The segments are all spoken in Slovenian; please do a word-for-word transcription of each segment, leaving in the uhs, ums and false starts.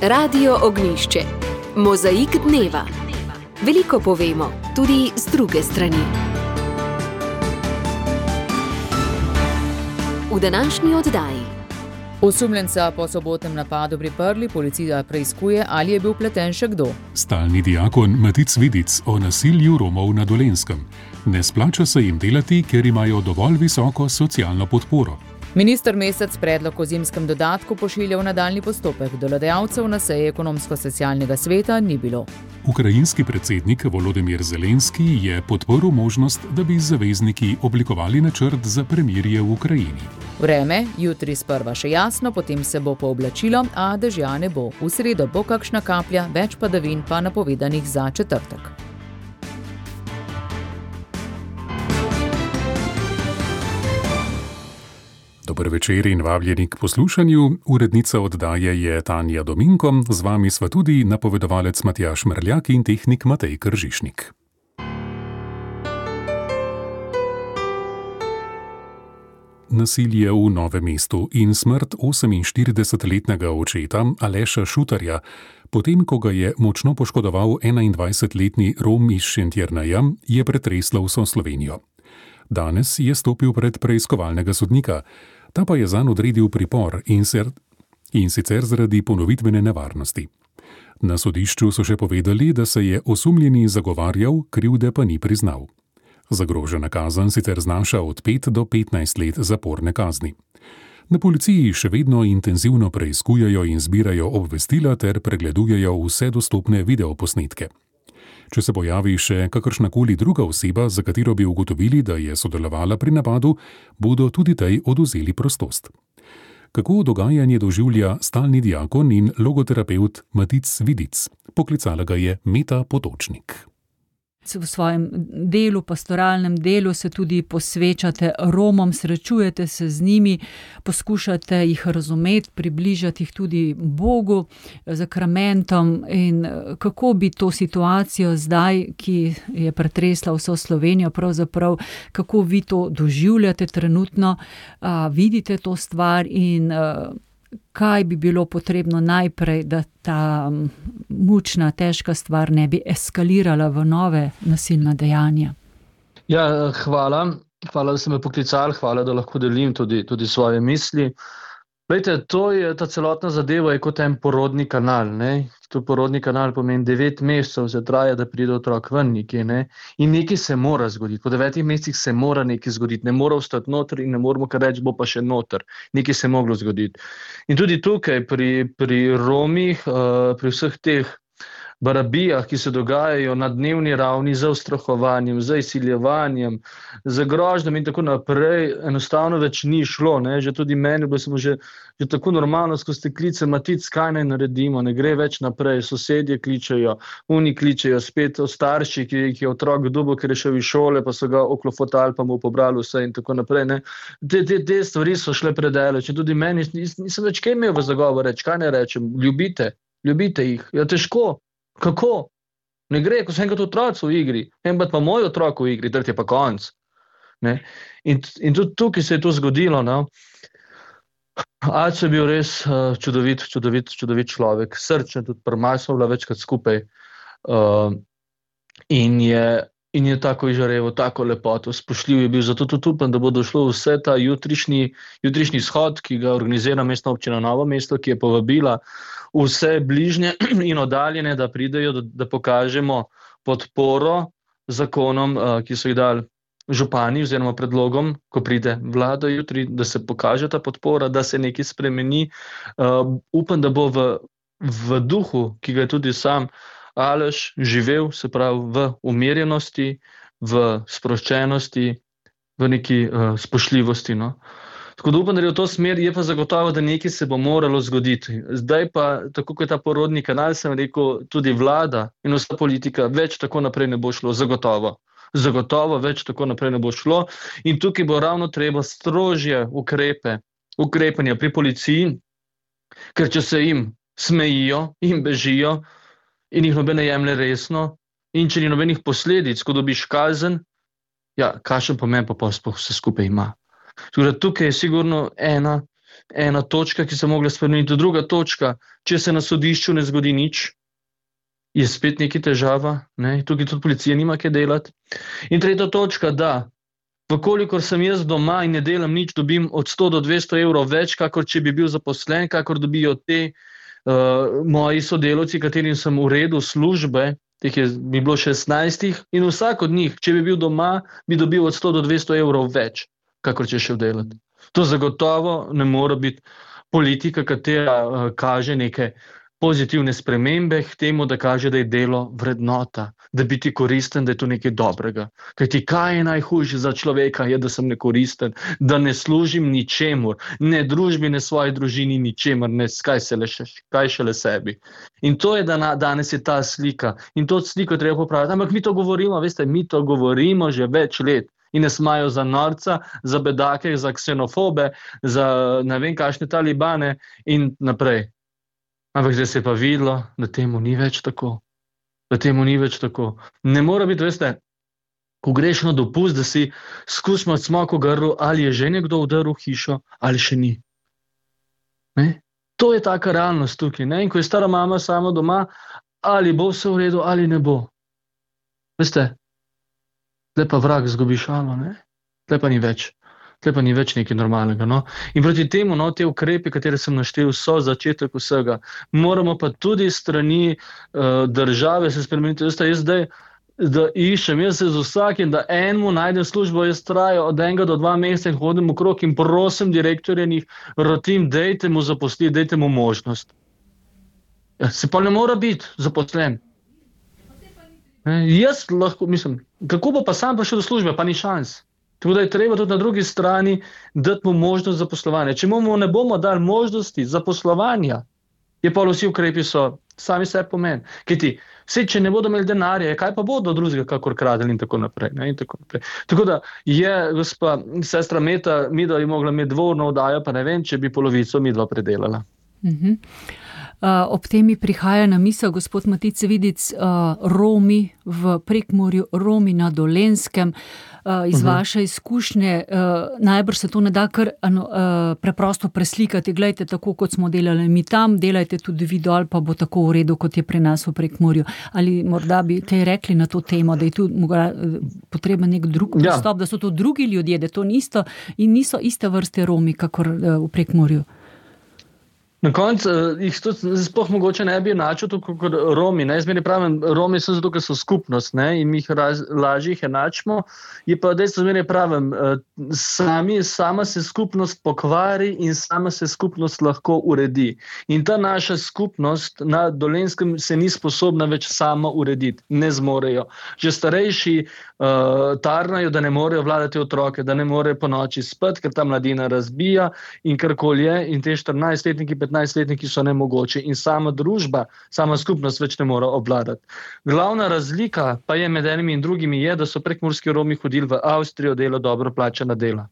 Radio Ognjišče. Mozaik dneva. Veliko povemo, tudi z druge strani. V današnji oddaji. Osumljenca po sobotnem napadu priprli, policija preiskuje, ali je bil vpleten še kdo. Stalni diakon Matic Vidic o nasilju Romov na Dolenjskem. Ne splača se jim delati, ker imajo dovolj visoko socialno podporo. Minister Mesec predlog o zimskem dodatku pošilja v nadaljnji postopek. Delodajalcev na seji ekonomsko-socialnega sveta ni bilo. Ukrajinski predsednik Volodymyr Zelenski je podporil možnost, da bi zavezniki oblikovali načrt za premirje v Ukrajini. Vreme, jutri sprva še jasno, potem se bo pooblačilo, a dežja ne bo. V sredo bo kakšna kaplja, več padavin pa napovedanih za četrtek. Dober večer in vabljeni k poslušanju. Urednica oddaje je Tanja Dominko, z vami sva tudi napovedovalec Matjaž Mrljak in tehnik Matej Kržišnik. Nasilje v Novem mestu in smrt oseminštiridesetletnega očeta Aleša Šutarja, potem ko ga je močno poškodoval enaindvajsetletni Rom iz Šentjerneja, je pretreslo vso Slovenijo. Danes je stopil pred preiskovalnega sodnika, ta pa je zanj odredil pripor in, ser, in sicer zaradi ponovitvene nevarnosti. Na sodišču so še povedali, da se je osumljeni zagovarjal, krivde pa ni priznal. Zagrožena kazen sicer znaša od pet do petnajst let zaporne kazni. Na policiji še vedno intenzivno preiskujejo in zbirajo obvestila ter pregledujejo vse dostopne videoposnetke. Če se pojavi še kakršnakoli druga oseba, za katero bi ugotovili, da je sodelovala pri napadu, bodo tudi tej odvzeli prostost. Kako dogajanje doživlja stalni diakon in logoterapeut Matic Vidic? Poklicala ga je Meta Potočnik. V svojem delu, pastoralnem delu se tudi posvečate Romom, srečujete se z njimi, poskušate jih razumeti, približati jih tudi Bogu, zakramentom. In kako bi to situacijo zdaj, ki je pretresla vso Slovenijo, pravzaprav, kako vi to doživljate trenutno, a, vidite to stvar in a, kaj bi bilo potrebno najprej, da ta mučna, težka stvar ne bi eskalirala v nove nasilna dejanja? Ja, hvala. Hvala, da ste me poklicali, hvala, da lahko delim tudi, tudi svoje misli. Glejte, to je, ta celotna zadeva je kot en porodni kanal, ne? To porodni kanal pomeni devet mesecev se traja, da pride otrok ven nekje, ne? In nekaj se mora zgoditi. Po devetih mesecih se mora nekaj zgoditi. Ne mora ostati noter in ne moramo kar reči, bo pa še noter. Nekaj se je moglo zgoditi. In tudi tukaj pri, pri Romih, uh, pri vseh teh barabijah, ki se dogajajo na dnevni ravni z ustrahovanjem, z izsiljevanjem, z grožnjami in tako naprej, enostavno več ni šlo. Ne? Že tudi meni, bilo smo že, že tako normalno skozi te klice, Matic, kaj naj naredimo, ne gre več naprej, sosedje kličejo, oni kličejo, spet starši, ki, ki je otrok dobil, ker je šel iz šole, pa so ga oklofotali, pa mu pobrali vse in tako naprej. Ne? Te, te, te stvari so šle predaleč in tudi meni nis, nisem več kaj imel v zagovor reči, kaj ne rečem, ljubite, ljubite jih, ja težko. Kako? Ne gre, ko so enkrat otroci v igri, enkrat pa moj otrok v igri, tret je pa konc. Ne? In, in tudi tukaj se je to zgodilo. No? Aco je bil res uh, čudovit, čudovit, čudovit človek, srčen, tudi prmaj smo bila večkrat skupaj uh, in je In je tako izžareval, tako lepoto, spoštljiv je bil, zato tudi upam, da bo došlo vse ta jutrišnji, jutrišnji shod, ki ga organizira Mestna občina Novo mesto, ki je povabila vse bližnje in oddaljene, da pridejo, da, da pokažemo podporo zakonom, ki so jih dali župani oziroma predlogom, ko pride vlada jutri, da se pokaže ta podpora, da se nekaj spremeni. Uh, upam, da bo v, v duhu, ki ga je tudi sam Aleš živel, se pravi v umirjenosti, v sproščenosti, v neki uh, spoštljivosti. No? Tako da upam, da je v to smer, je pa zagotovo, da nekaj se bo moralo zgoditi. Zdaj pa, tako kot je ta porodni kanal, sem rekel, tudi vlada in vsa politika, več tako naprej ne bo šlo, zagotovo. Zagotovo več tako naprej ne bo šlo in tukaj bo ravno treba strožje ukrepe, ukrepanja pri policiji, ker če se jim smejijo in bežijo, in jih noben ne jemlje resno, in če ni nobenih posledic, ko dobiš kazen, ja, kakšen pomen pa vse skupaj ima. Tukaj je sigurno ena ena točka, ki se mogla spremeniti. Druga točka, če se na sodišču ne zgodi nič, je spet neki težava, ne? Tukaj tudi policija nima kaj delati. In tretja točka, da vkolikor sem jaz doma in ne delam nič, dobim od sto do dvesto evrov več, kakor če bi bil zaposlen, kakor dobijo te uh, moji sodelavci, katerim sem uredil službe, teh je bi bilo šestnajstih, in vsak od njih, če bi bil doma, bi dobil od sto do dvesto evrov več, kakor če šel delati. To zagotovo ne more biti politika, katera uh, kaže neke pozitivne spremembe k temu, da kaže, da je delo vrednota, da biti koristen, da je to nekaj dobrega. Kajti kaj je najhujše za človeka, je, da sem nekoristen, da ne služim ničemur, ne družbi, ne svoji družini, ničemur, ne kaj, se le še, kaj šele sebi. In to je, da na, danes je ta slika. In to sliko treba popraviti. Ampak mi to govorimo, veste, mi to govorimo že več let. In nas imajo za norca, za bedake, za ksenofobe, za ne vem kakšne talibane in naprej. Ampak zdaj se je pa videlo, da temu ni več tako. Da temu ni več tako. Ne mora biti, veste, ko greš na dopust, da si skusimo smoko grlu, ali je že nekdo udaril hišo, ali še ni. Ne? To je taka realnost tukaj. Ne? In ko je stara mama sama doma, ali bo vse v redu, ali ne bo. Veste, zdaj pa vrag zgubi šalo, ne? Zdaj pa ni več. Zdaj pa ni več nekaj normalnega. No? In proti temu, no, te ukrepe, katere sem naštel, so začetek vsega. Moramo pa tudi strani uh, države se spremeniti. Veste, jaz zdaj, da iščem, jaz se z vsakim, da enemu najdem službo, jaz trajo od enega do dva meseca in hodim okrog in prosim direktorja njih, rotim, dejte mu zaposliti, dejte mu možnost. Ja, se pa ne mora biti zaposlen. Ne, jaz lahko, mislim, kako bo pa sam prišel do službe, pa ni šans. Tako da je treba tudi na drugi strani dati mu možnost zaposlovanja. Če mu ne bomo dali možnosti zaposlovanja, je pa vsi ukrepi so sami sebi pomen. Kajti, vse, če ne bodo imeli denarja, kaj pa bodo drugega, kakor kradeli in tako naprej. Ne, in tako naprej. Tako da je gospa sestra Meta, midva bi mogla imeti dvorno oddajo, pa ne vem, če bi polovico midva predelala. Mhm. Uh, ob temi prihaja na misel, gospod Matic Vidic, uh, Romi v Prekmurju, Romi na Dolenjskem. Uh, iz uh-huh. vaše izkušnje, uh, najbrž se to ne da kar ano, uh, preprosto preslikati. Glejte, tako kot smo delali mi tam, delajte tudi vi dol, pa bo tako v redu, kot je pri nas v Prekmurju. Ali morda bi kaj rekli na to temo, da je tu mogla, uh, potreben nek drug pristop, ja. Da so to drugi ljudje, da to niso in niso iste vrste Romi, kakor uh, v Prekmurju. Na koncu jih sploh mogoče ne bi enačil tako kot Romi. Ne? Zmeri pravim, Romi so zato, ker so skupnost, ne? In mi jih raz, lažje jih enačimo. Je pa dejstvo, zmeri pravim, sami, sama se skupnost pokvari in sama se skupnost lahko uredi. In ta naša skupnost na Dolenjskem se ni sposobna več sama urediti. Ne zmorejo. Že starejši uh, tarnajo, da ne morejo vladati otroke, da ne morejo po noči spati, ker ta mladina razbija in karkoli je. In te štirinajstletniki, petnajstletniki so nemogoči in sama družba, sama skupnost več ne mora obvladati. Glavna razlika pa je med enimi in drugimi je, da so prekmurski Romi hodili v Avstrijo delo dobro plačana dela.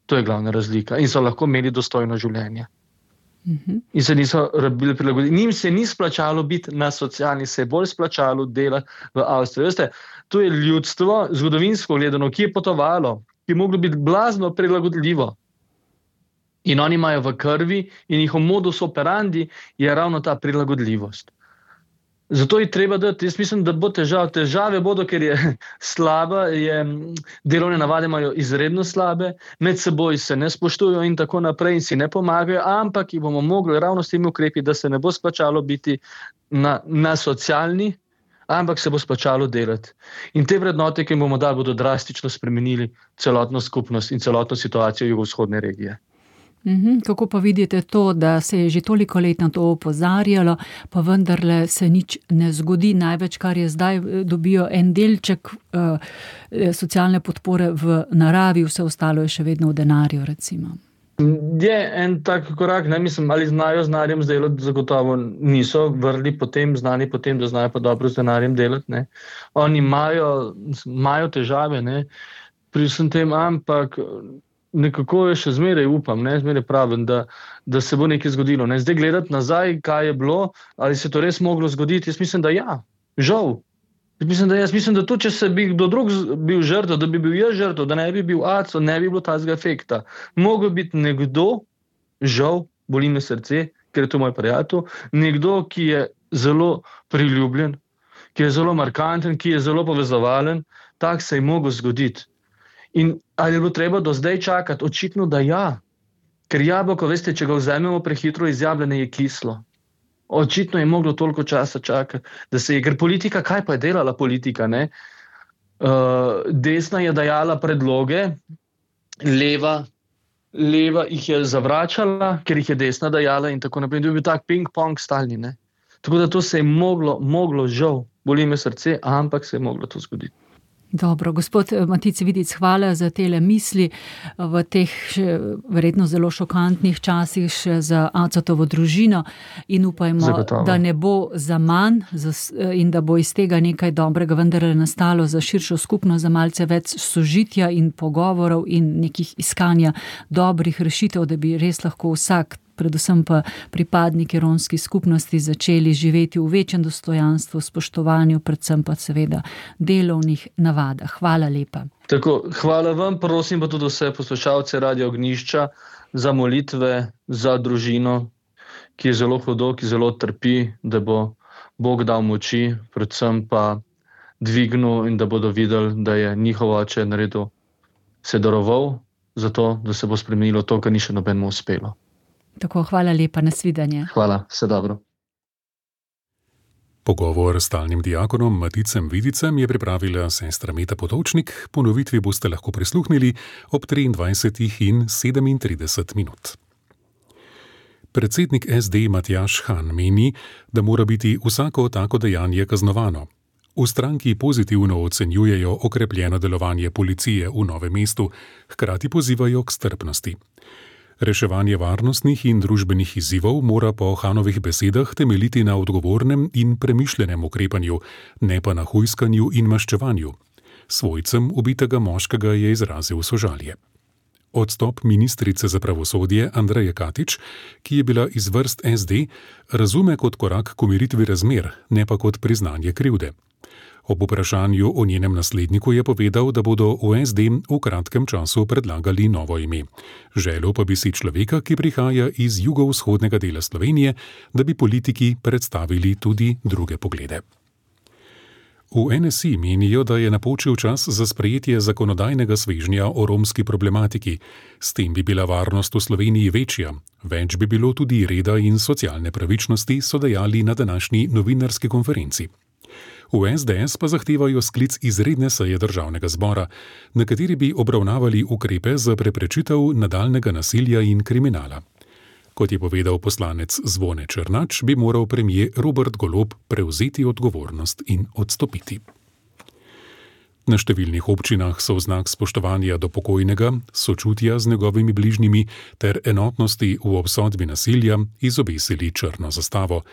To je glavna razlika in so lahko imeli dostojno življenje. Mm-hmm. In se niso rabili prilagoditi. Njim se ni splačalo biti na socialni, se je bolj splačalo delati v Avstriji. Veste, to je ljudstvo, zgodovinsko gledano, ki je potovalo, ki je moglo biti blazno prilagodljivo. In oni imajo v krvi in njihov modus operandi je ravno ta prilagodljivost. Zato je treba dati, jaz mislim, da bo težav. Težave bodo, ker je slaba, je, delovne navade imajo izredno slabe, med seboj se ne spoštujo in tako naprej in si ne pomagajo, ampak jih bomo mogli ravno s temi ukrepi, da se ne bo splačalo biti na, na socialni, ampak se bo splačalo delati. In te vrednote, ki jim bomo dali, bodo drastično spremenili celotno skupnost in celotno situacijo jugovzhodne regije. Uhum, kako pa vidite to, da se je že toliko let na to opozarjalo, pa vendarle se nič ne zgodi. Največ, kar je zdaj, dobijo en delček uh, socialne podpore v naravi, vse ostalo je še vedno v denarju, recimo. Je en tak korak, ne mislim, ali znajo z denarjem delati, zagotovo niso vrli potem, znani potem, da znajo pa dobro z denarjem delati. Ne. Oni imajo, imajo težave, ne, pri vsem tem, ampak nekako je še zmeraj upam, ne, zmeraj pravim, da, da se bo nekaj zgodilo. Ne. Zdaj gledati nazaj, kaj je bilo, ali se to res moglo zgoditi, jaz mislim, da ja, žal. Jaz mislim, da, jaz mislim, da tudi, če se bi kdo drug bil žrtev, da bi bil jaz žrtev, da ne bi bil aco, ne bi bilo tazga efekta. Mogel biti nekdo, žal, boli me srce, ker je to moj prijatelj, nekdo, ki je zelo priljubljen, ki je zelo markanten, ki je zelo povezovalen, tak se je mogel zgoditi. In ali je bilo treba do zdaj čakati? Očitno, da ja. Ker jabolko, veste, če ga vzamemo prehitro iz jablane, je kislo. Očitno je moglo toliko časa čakati, da se je, ker politika, kaj pa je delala politika, ne? Uh, desna je dajala predloge, leva, leva jih je zavračala, ker jih je desna dajala in tako naprej. To je bil tak ping-pong stalni, ne? Tako da to se je moglo, moglo žal, boli me srce, ampak se je moglo to zgoditi. Dobro, gospod Matic Vidic, hvala za tele misli v teh še, verjetno zelo šokantnih časih še za Acetovo družino in upajmo, Zagotovo. Da ne bo za manj in da bo iz tega nekaj dobrega vendarle nastalo za širšo skupnost, za malce več sožitja in pogovorov in nekih iskanja dobrih rešitev, da bi res lahko vsak, predvsem pa pripadniki romskih skupnosti, začeli živeti v večjem dostojanstvu, spoštovanju, predvsem pa seveda delovnih navadah. Hvala lepa. Tako, hvala vam, prosim pa tudi vse poslušalce Radio Ognjišča za molitve, za družino, ki je zelo hudo, ki zelo trpi, da bo Bog dal moči, predvsem pa dvignil in da bodo videli, da je njihov oče naredil, se daroval za to, da se bo spremenilo to, kar ni še nobenemu uspelo. Tako, hvala lepa, nasvidenje. Hvala, vse dobro. Pogovor s stalnim diakonom Maticem Vidicem je pripravila sestra Meta Potočnik, ponovitvi boste lahko prisluhnili ob triindvajsetih in sedemintrideset minut. Predsednik es de Matjaž Han meni, da mora biti vsako tako dejanje kaznovano. V stranki pozitivno ocenjujejo okrepljeno delovanje policije v Novem mestu, hkrati pozivajo k strpnosti. Reševanje varnostnih in družbenih izzivov mora po Hanovih besedah temeljiti na odgovornem in premišljenem ukrepanju, ne pa na hujskanju in maščevanju. Svojcem ubitega moškega je izrazil sožalje. Odstop ministrice za pravosodje Andreje Katič, ki je bila iz vrst es de, razume kot korak k umiritvi razmer, ne pa kot priznanje krivde. Ob vprašanju o njenem nasledniku je povedal, da bodo v es de v kratkem času predlagali novo ime. Želel pa bi si človeka, ki prihaja iz jugovzhodnega dela Slovenije, da bi politiki predstavili tudi druge poglede. V en es i menijo, da je napočil čas za sprejetje zakonodajnega svežnja o romski problematiki. S tem bi bila varnost v Sloveniji večja. Več bi bilo tudi reda in socialne pravičnosti, so dejali na današnji novinarski konferenci. V es de es pa zahtevajo sklic izredne seje državnega zbora, na kateri bi obravnavali ukrepe za preprečitev nadaljnega nasilja in kriminala. Kot je povedal poslanec Zvone Černač, bi moral premier Robert Golob prevzeti odgovornost in odstopiti. Na številnih občinah so v znak spoštovanja do pokojnega, sočutja z njegovimi bližnjimi ter enotnosti v obsodbi nasilja izobesili črno zastavo.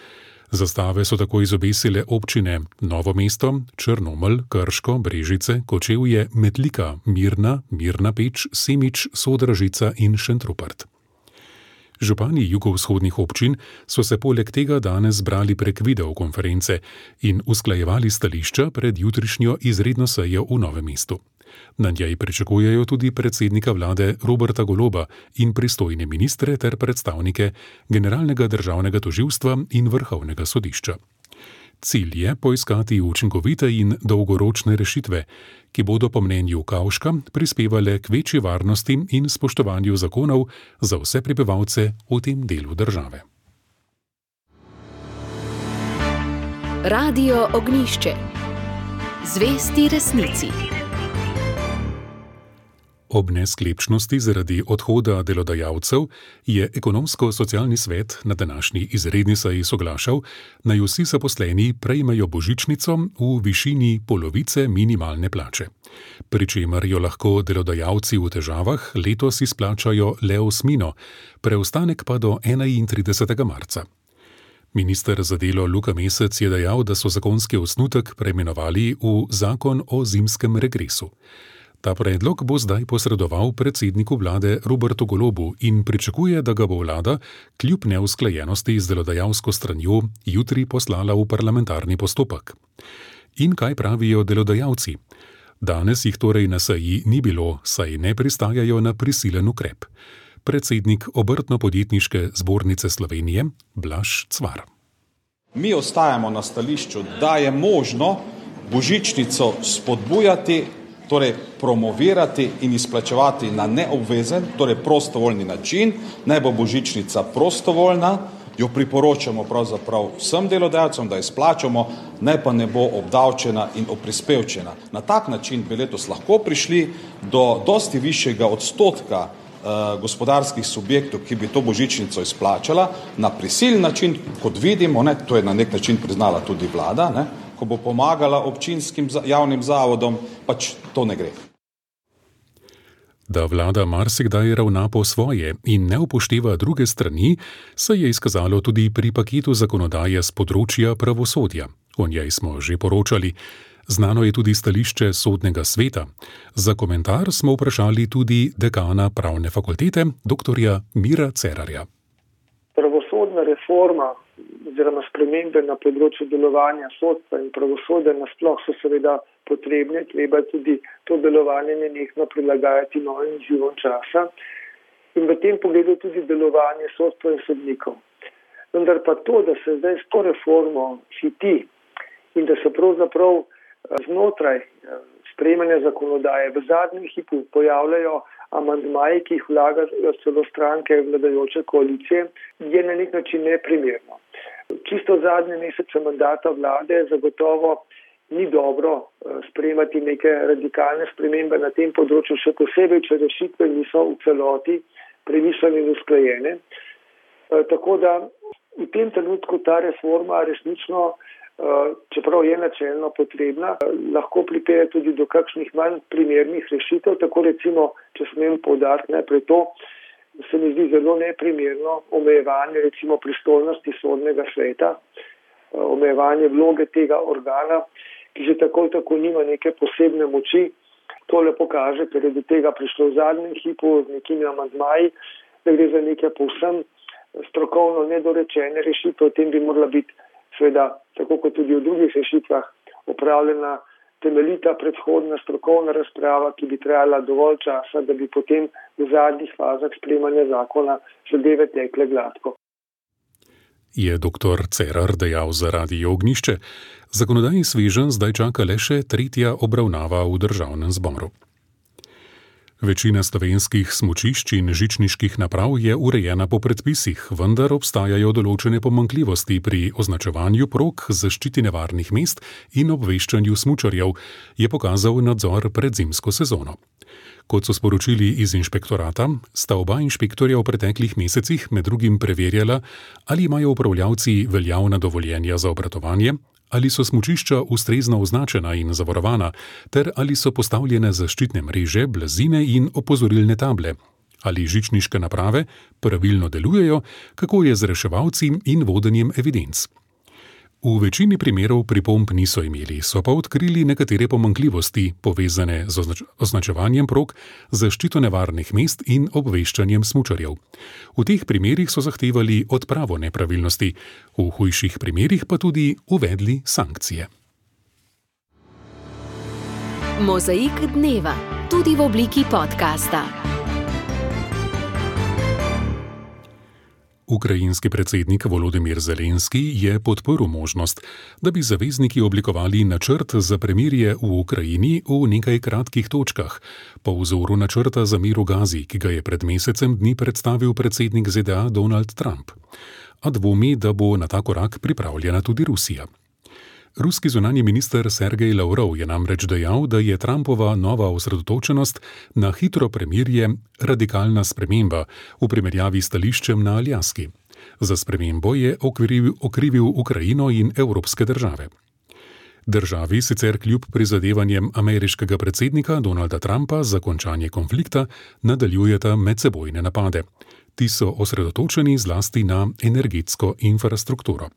Zastave so tako izobesile občine Novo mesto, Črnomelj, Krško, Brežice, Kočevje, Metlika, Mirna, Mirna Peč, Semič, Sodražica in Šentrupert. Župani jugovzhodnih občin so se poleg tega danes zbrali prek videokonference in usklajevali stališča pred jutrišnjo izredno sejo v Novem mestu. Na njej pričakujejo tudi predsednika vlade Roberta Goloba in pristojne ministre ter predstavnike Generalnega državnega tožilstva in Vrhovnega sodišča. Cilj je poiskati učinkovite in dolgoročne rešitve, ki bodo po mnenju Kavška prispevale k večji varnosti in spoštovanju zakonov za vse prebivalce v tem delu države. Radio Ognjišče. Zvesti resnici. Ob nesklepčnosti zaradi odhoda delodajalcev je ekonomsko-socialni svet na današnji izredni seji soglašal, naj vsi zaposleni prejmejo božičnico v višini polovice minimalne plače. Pri čemer jo lahko delodajalci v težavah letos izplačajo le osmino, preostanek pa do enaintridesetega marca. Minister za delo Luka Mesec je dejal, da so zakonski osnutek preimenovali v zakon o zimskem regresu. Ta predlog bo zdaj posredoval predsedniku vlade Robertu Golobu in pričakuje, da ga bo vlada, kljub neusklajenosti z delodajalsko stranjo, jutri poslala v parlamentarni postopek. In kaj pravijo delodajalci? Danes jih torej na seji ni bilo, saj ne pristajajo na prisilen ukrep. predsednik Obrtno-podjetniške zbornice Slovenije Blaž Cvar. Mi ostajamo na stališču, da je možno božičnico spodbujati, torej promovirati in izplačevati na neobvezen, torej prostovoljni način. Naj bo božičnica prostovoljna, jo priporočamo pravzaprav vsem delodajalcem, da izplačamo, naj pa ne bo obdavčena in oprispevčena. Na tak način bi letos lahko prišli do dosti višjega odstotka gospodarskih subjektov, ki bi to božičnico izplačala na prisilni način, kot vidimo, ne, to je na nek način priznala tudi vlada, ne, ko bo pomagala občinskim javnim zavodom, pač to ne gre. Da vlada marsikdaj ravna po svoje in ne upošteva druge strani, se je izkazalo tudi pri paketu zakonodaje z področja pravosodja. O njej smo že poročali. Znano je tudi stališče Sodnega sveta. Za komentar smo vprašali tudi dekana pravne fakultete, doktorja Mira Cerarja. Pravosodna reforma oziroma spremembe na področju delovanja sodstva in pravosodja nasploh so seveda potrebne, treba tudi to delovanje nenehno prilagajati novim izzivom časa in v tem pogledu tudi delovanje sodstva in sodnikov. Vendar pa to, da se zdaj s to reformo hiti in da se pravzaprav znotraj sprejemanja zakonodaje v zadnjem hipu pojavljajo amandmaji, ki jih vlagajo celo stranke vladajoče koalicije, je na nek način neprimerno. Čisto zadnje mesece mandata vlade zagotovo ni dobro sprejemati neke radikalne spremembe na tem področju, še posebej, če rešitve niso v celoti premišljene in usklajene. Tako da v tem trenutku ta reforma resnično, čeprav je načelno potrebna, lahko pripelje tudi do kakšnih manj primernih rešitev. Tako recimo, če smem poudariti najprej to, se mi zdi zelo neprimerno omejevanje recimo pristojnosti Sodnega sveta, omejevanje vloge tega organa, ki že tako tako nima neke posebne moči. To lepo kaže, ker je do tega prišlo v zadnjem hipu z nekimi amandmaji, da gre za neke povsem strokovno nedorečene rešitve. O tem bi morala biti seveda, tako kot tudi v drugih rešitvah, opravljena temeljita predhodna strokovna razprava, ki bi trajala dovolj časa, da bi potem v zadnjih fazah sprejemanja zakona zadeve tekle gladko. Je doktor Cerar dejal za Radio Ognjišče. Zakonodajni sveženj zdaj čaka le še tretja obravnava v Državnem zboru. Večina slovenskih smučišč in žičniških naprav je urejena po predpisih, vendar obstajajo določene pomanjkljivosti pri označevanju prog, zaščiti nevarnih mest in obveščanju smučarjev, je pokazal nadzor pred zimsko sezono. Kot so sporočili iz inšpektorata, sta oba inšpektorja v preteklih mesecih med drugim preverjala, ali imajo upravljavci veljavna dovoljenja za obratovanje, ali so smučišča ustrezno označena in zavarovana, ter ali so postavljene zaščitne mreže, blazine in opozorilne table, ali žičniške naprave pravilno delujejo, kako je z reševalci in vodenjem evidenc. V večini primerov pripomb niso imeli, so pa odkrili nekatere pomanjkljivosti, povezane z označ- označevanjem prog, zaščito nevarnih mest in obveščanjem smučarjev. V teh primerih so zahtevali odpravo nepravilnosti, v hujših primerih pa tudi uvedli sankcije. Mozaik dneva, tudi v obliki podcasta. Ukrajinski predsednik Volodymyr Zelenski je podprl možnost, da bi zavezniki oblikovali načrt za premirje v Ukrajini v nekaj kratkih točkah, po vzoru načrta za mir v Gazi, ki ga je pred mesecem dni predstavil predsednik Z D A Donald Trump. A dvomi, da bo na ta korak pripravljena tudi Rusija. Ruski zunanji minister Sergej Lavrov je namreč dejal, da je Trumpova nova osredotočenost na hitro premirje radikalna sprememba v primerjavi s stališčem na Aljaski. Za spremembo je okrivil, okrivil Ukrajino in evropske države. Državi sicer kljub prizadevanjem ameriškega predsednika Donalda Trumpa za končanje konflikta nadaljujeta medsebojne napade. Ti so osredotočeni zlasti na energetsko infrastrukturo.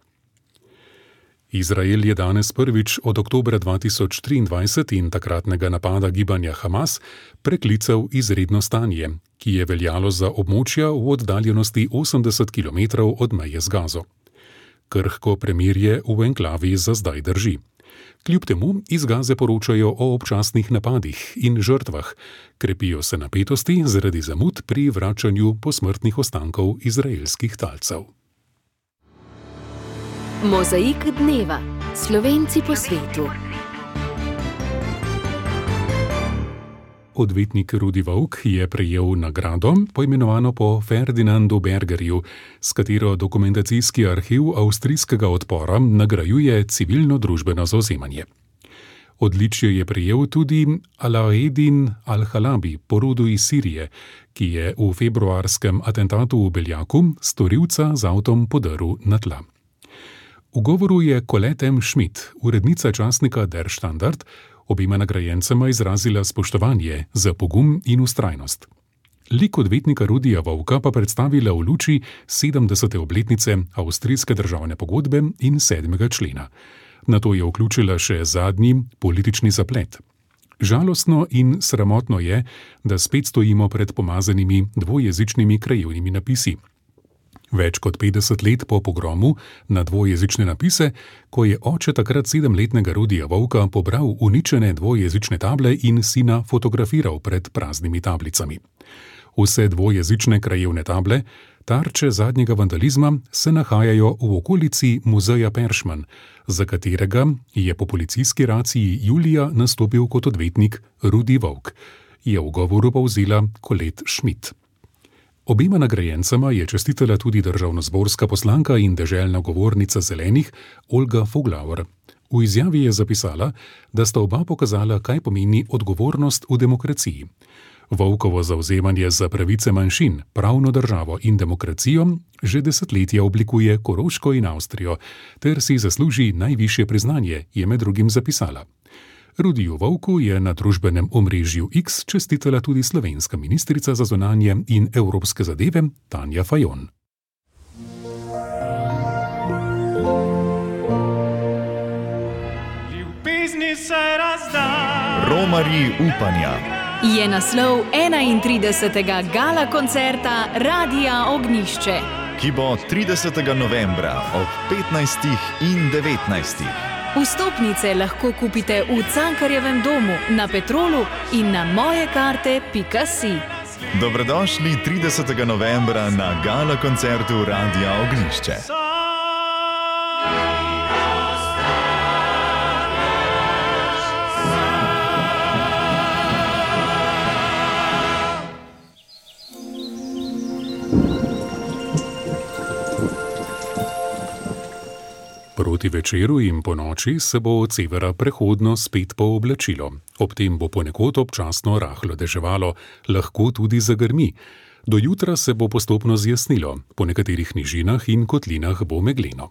Izrael je danes prvič od oktobra dva tisoč triindvajset in takratnega napada gibanja Hamas preklical izredno stanje, ki je veljalo za območja v oddaljenosti osemdeset kilometrov od meje z Gazo. Krhko premirje v enklavi za zdaj drži. Kljub temu iz Gaze poročajo o občasnih napadih in žrtvah, krepijo se napetosti zaradi zamud pri vračanju posmrtnih ostankov izraelskih talcev. Mozaik dneva. Slovenci po svetu. Odvetnik Rudi Vovk je prejel nagrado, poimenovano po Ferdinandu Bergerju, s katero dokumentacijski arhiv avstrijskega odpora nagrajuje civilno-družbeno zavzemanje. Odličje je prejel tudi Alaeddin al-Halabi, po rodu iz Sirije, ki je v februarskem atentatu v Beljaku storilca z avtom podrl na tla. V govoru je Colette M. Schmidt, urednica časnika Der Standard, obima nagrajencema izrazila spoštovanje za pogum in vztrajnost. Lik odvetnika Rudija Vovka pa predstavila v luči sedemdesete obletnice avstrijske državne pogodbe in sedmega člena. Nato je vključila še zadnji politični zaplet. Žalostno in sramotno je, da spet stojimo pred pomazanimi dvojezičnimi krajevnimi napisi. Več kot petdeset let po pogromu na dvojezične napise, ko je oče takrat sedemletnega Rudija Vovka pobral uničene dvojezične table in sina fotografiral pred praznimi tablicami. Vse dvojezične krajevne table, tarče zadnjega vandalizma, se nahajajo v okolici muzeja Peršman, za katerega je po policijski raciji julija nastopil kot odvetnik Rudi Vovk, je v govoru povzela Colette Schmidt. Obema nagrajencema je čestitala tudi državnozborska poslanka in deželna govornica Zelenih Olga Voglauer. V izjavi je zapisala, da sta oba pokazala, kaj pomeni odgovornost v demokraciji. Vovkovo zavzemanje za pravice manjšin, pravno državo in demokracijo že desetletja oblikuje Koroško in Avstrijo, ter si zasluži najvišje priznanje, je med drugim zapisala. Rudiju Vovku je na družbenem omrežju X čestitala tudi slovenska ministrica za zunanje in evropske zadeve Tanja Fajon. Ljubezni se razda. Romarji upanja je naslov enaintridesetega gala koncerta Radia Ognjišče, ki bo tridesetega novembra ob petnajstih in devetnajstih. Vstopnice lahko kupite v Cankarjevem domu, na Petrolu in na mojekarte pika si. Dobrodošli tridesetega novembra na gala koncertu Radia Ognjišče. Proti večeru in po noči se bo od severa prehodno spet pooblačilo. Ob tem bo ponekod občasno rahlo deževalo, lahko tudi zagrmi. Do jutra se bo postopno zjasnilo, po nekaterih nižinah in kotlinah bo megleno.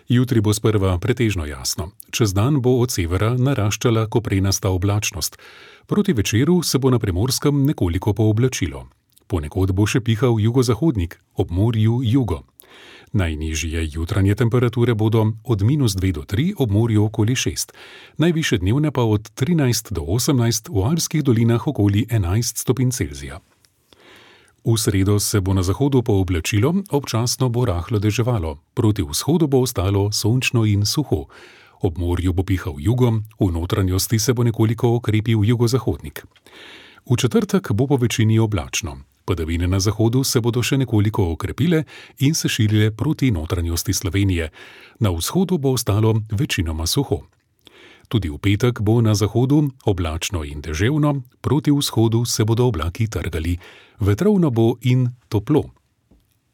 Jutri bo sprva pretežno jasno. Čez dan bo od severa naraščala koprenasta oblačnost. Proti večeru se bo na Primorskem nekoliko pooblačilo. Ponekod bo še pihal jugozahodnik, ob morju jugo. Najnižje jutranje temperature bodo od minus dve do tri, ob morju okoli šest. Najvišje dnevne pa od trinajst do osemnajst, v alpskih dolinah okoli enajst stopinj Celzija. V sredo se bo na zahodu pooblačilo, občasno bo rahlo deževalo. Proti vzhodu bo ostalo sončno in suho. Ob morju bo pihal jugo, v notranjosti se bo nekoliko okrepil jugozahodnik. V četrtek bo po večini oblačno. Padavine na zahodu se bodo še nekoliko okrepile in se širile proti notranjosti Slovenije. Na vzhodu bo ostalo večinoma suho. Tudi v petek bo na zahodu oblačno in deževno, proti vzhodu se bodo oblaki trgali. Vetrovno bo in toplo.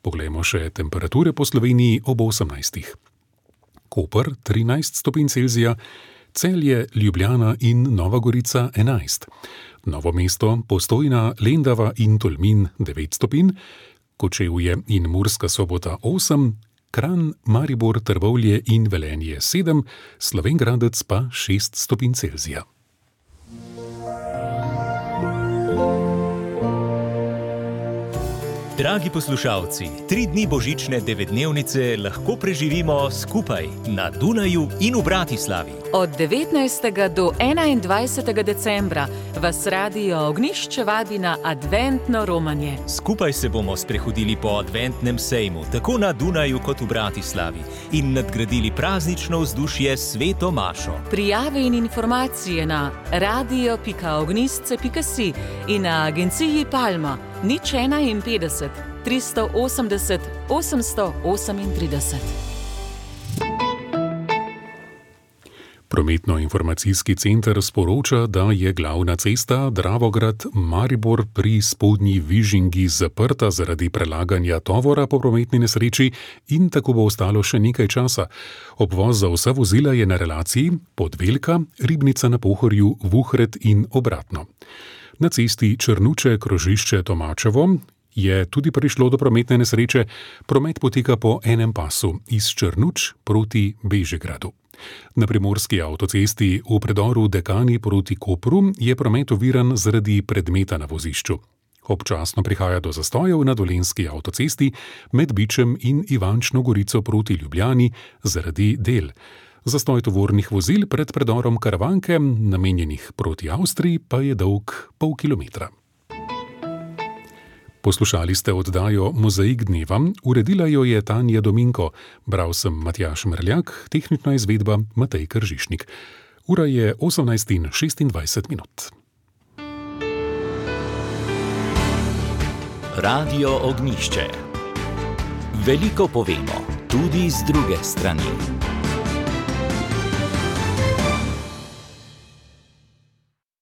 Poglejmo še temperature po Sloveniji ob osemnajstih. Koper trinajst stopinj Celzija, Celje, Ljubljana in Nova Gorica enajst. Novo mesto, Postojna, Lendava in Tolmin devet stopinj, Kočevje in Murska Sobota osem, Kranj, Maribor, Trbovlje in Velenje sedem, Slovenj Gradec pa šest stopinj Celzija. Dragi poslušalci, tri dni božične devetdnevnice lahko preživimo skupaj na Dunaju in v Bratislavi. Od devetnajstega do enaindvajsetega decembra vas Radio Ognjišče vabi na adventno romanje. Skupaj se bomo sprehodili po adventnem sejmu, tako na Dunaju kot v Bratislavi, in nadgradili praznično vzdušje s Sveto mašo. Prijave in informacije na radio pika ognjišče pika si in na agenciji Palma nič enainpetdeset, tristo osemdeset, osemsto osemintrideset. Prometno-informacijski center sporoča, da je glavna cesta Dravograd-Maribor pri Spodnji Vižingi zaprta zaradi prelaganja tovora po prometni nesreči in tako bo ostalo še nekaj časa. Obvoz za vsa vozila je na relaciji Podvelka, Ribnica na Pohorju, Vuhred in obratno. Na cesti Črnuče-Krožišče Tomačevo je tudi prišlo do prometne nesreče. Promet poteka po enem pasu iz Črnuč proti Bežigradu. Na primorski avtocesti v predoru Dekani proti Kopru je promet oviran zaradi predmeta na vozišču. Občasno prihaja do zastojev na dolenjski avtocesti med Bičem in Ivančno Gorico proti Ljubljani zaradi del. Zastoj tovornih vozil pred predorom Karavanke, namenjenih proti Avstriji, pa je dolg pol kilometra. Poslušali ste oddajo Mozaik dneva, uredila jo je Tanja Dominko, bral sem Matjaž Mrljak, tehnična izvedba Matej Kržišnik. Ura je osemnajst in šestindvajset minut. Radio Ognjišče. Veliko povemo, tudi z druge strani.